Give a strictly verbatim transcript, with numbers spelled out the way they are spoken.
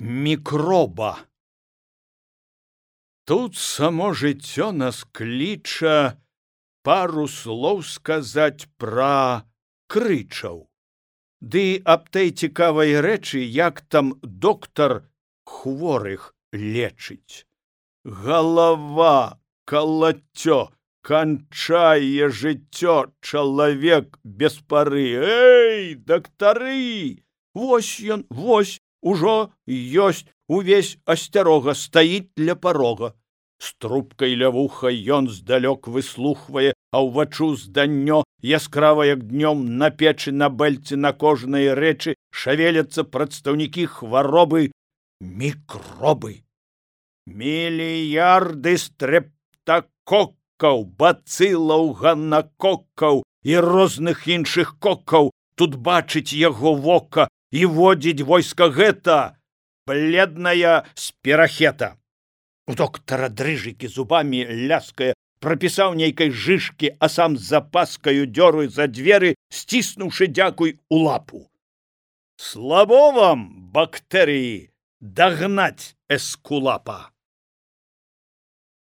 мікроба. Тут само жыццё нас кліча пару слоў сказаць пра крычаў. Ды аб той цікавай рэчы, як там доктар хворых лечыць. Галава, калаццё, канчае жыццё чалавек без пары. Эй, дактары! Вось ён, вось, ужо ёсць, увесь асцярога стаіць ля парога. З трубкай ля вуха ён здалёк выслухвае, а ўвачу зданнё яскрава, як днём на печы, на бэльцы, на кожнай рэчы шавеляцца прадстаўнікі хваробы мікробы. Мільярды стрэптакоккаў, бацылаў, ганакоккаў і розных іншых коккаў тут бачыць яго вока і водзіць войска гэта бледная спірахета. У доктара дрыжыкі зубамі ляскае, прапісаў нейкай жышкі, а сам з запаскаю дзёры за дзверы, сціснуўшы дзякуй у лапу. Слабо вам, бактэрыі, дагнаць эскулапа.